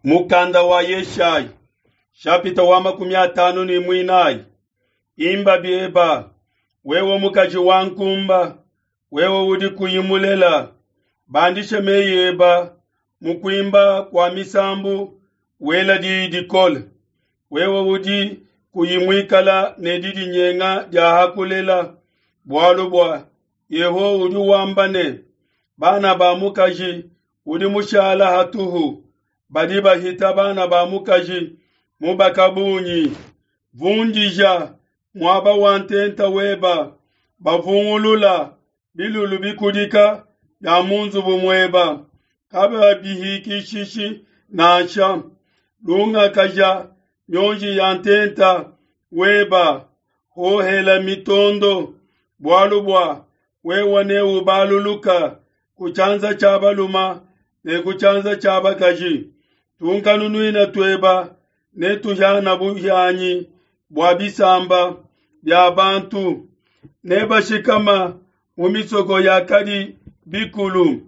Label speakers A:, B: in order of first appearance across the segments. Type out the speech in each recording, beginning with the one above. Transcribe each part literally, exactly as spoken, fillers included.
A: Mukanda wa Yeshayi shapita wa makumi atanu ne muinayi. Imba bieba, wewe mukaji wa nkumba, wewe udi kuyi mulela, bandisha meyi eba mu kuimba kua misambu, wela diyi dikole. Wewe udi kuyi muikala ne didinyenga dia hakulela, bualu bua Yehowa udi wamba ne, bana ba mukaji udi mushala hatuhu badi bahita bana ba mukaji mubaka bungi. Vundija muaba wa ntenta weba, bavungulula bilulu bikudika bia mu nzubu mueba, kababihikishishi nansha. Lungakaja mionji ya ntenta weba, hohela mitondo, bualu bua wewe neubaluluka ku tshianza tshia baluma ne ku tshianza tshia bakaji. Tunkanunuina tueba ne tuhiana buhianyi bua bisamba bia bantu, ne bashikama mu misoko yakadi bikulu.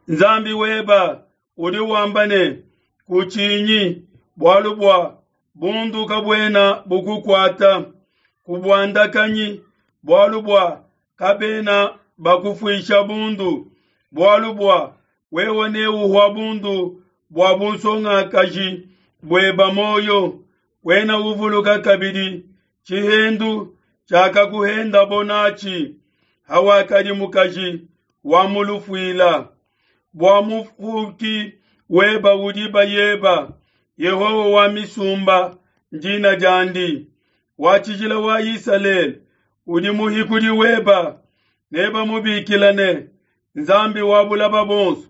A: Nzambi weba udi wamba ne, kutshinyi, bualu bua bundu kabuena bukukuata, kubuandakanyi, bualu bua kabena bakufuisha bundu, bualu bua wewe neuhua bundu bua bunsongakaji bueba moyo. Wena uvuluka kabidi tshihendu tshiakakuhendabo natshi hawakadi mukaji wa mulufuila. Bua mufuki weba udi bayeba, Yehowa wa misumba ndina diandi, wa tshijila wa Isalele udi muhikudi weba, nebamubikila ne Nzambi wa bulaba bonso,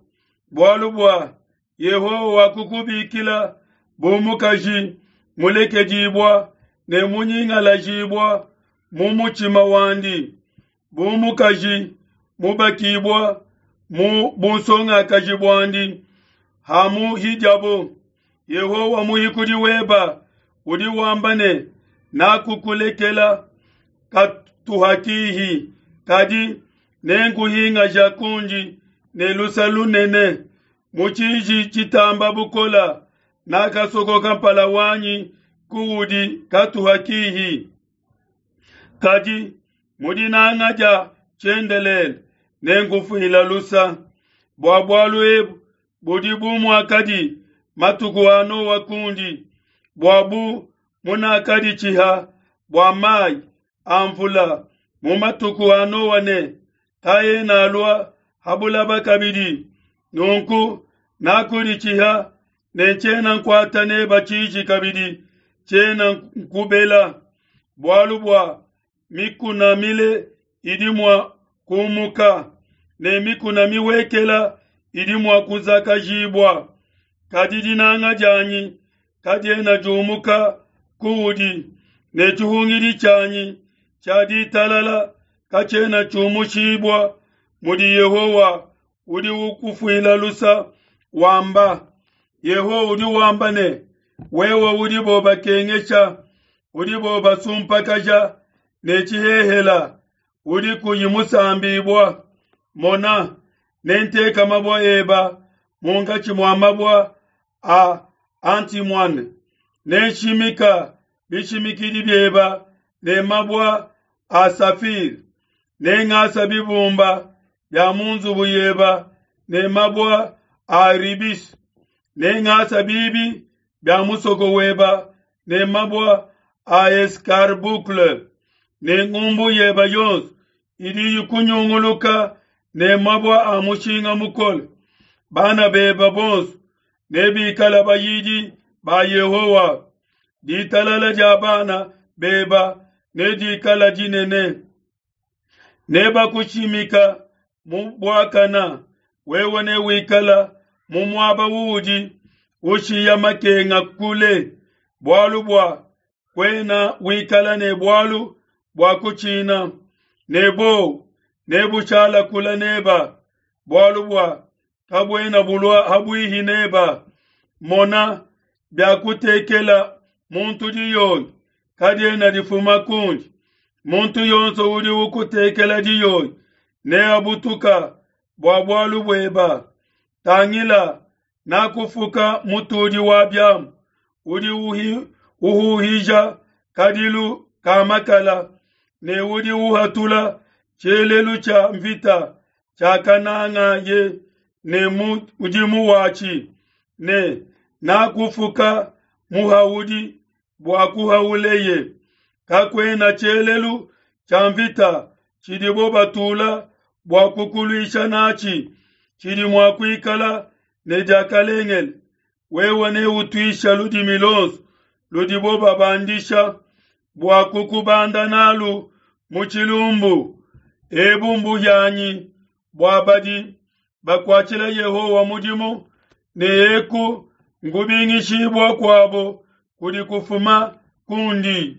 A: bualu bua Yehowa wakukubikila bu mukaji mulekedibua ne munyingalajibua mu mutshima wandi, bu mukaji mubakibua mu bunsongakaji buandi hamuhidiabo. Yehowa muhikudi weba udi wamba ne, nakukulekela katuhakihi, kadi nenkuhingaja kundi ne lusa lunene. Mu tshiji tshitamba bukola nakasokoka mpala wanyi kuudi katuhakihi, kadi mu dinanga dia tshiendelele nenkufuila lusa. Bua bualu ebu budi bu muakadi matuku a Noa kundi, bua bu munakadi tshiha bua mai a mvula mu matuku a Noa ne kaena alua ha bulaba kabidi. Nunku nakuditshiha ne tshiena nkuata neba tshiji kabidi, tshiena nkubela, bualu bua mikuna mile idi mua kumuka ne mikuna miwekela idi mua kuzakajibua, kadi dinanga dianyi kadiena diumuka kuudi, ne tshihungidi tshianyi tshia ditalala katshiena tshiumushibua, mudi Yehowa udi ukufuila lusa wamba. Yehowa udi wamba ne, wewe udibo bakengesha, udibo basumpakaja ne tshihehela, udi kuyi musambibua, mona, nenteka mabua eba munkatshi mua mabua a antimoine, nenshimika bishimikidi bieba ne mabua a safire, nengasa bibumba bia mu nzubu yeba ne mabua a ribis, nengasa bibi bia musoko weba ne mabua a escarboucle, ne ngumbu yeba yonso idi ikunyunguluka ne mabua a mushinga mukole. Bana beba bonso nebikala bayidi ba Yehowa. Ditalala dia bana beba nedikala dinene. Nebakushimika mu buakana, wewe newikala mu muaba uudi ushiya makenga kule, bualu bua kuena wikala ne bualu bua kutshina, ne bowu nebushala kula neba, bualu bua kabuena bulua habuihi neba. Mona, biakutekela muntu diyoyi kadiena difuma kundi. Muntu yonso udi ukutekela diyoyi neabutuka bua bualu bueba. Tangila, Nakufuka mutudi wa biamu udi uhuhija kadilu ka makala ne udi uhatula tshielelu tshia mvita tshiakanangaye ne mudimu watshi, ne nakufuka muhaudi bua kuhauleye. Kakuena tshielelu tshia mvita tshidibo batula bua kukuluisha natshi tshidi mua kuikala ne diakalengele. Wewe neutuisha ludimi luonso ludibo babandisha bua kukubanda nalu mu tshilumbu. Ebu mbuhianyi bua badi bakuatshila Yehowa mudimu, ne eku nkubingishibua kuabo kudi kufuma kundi.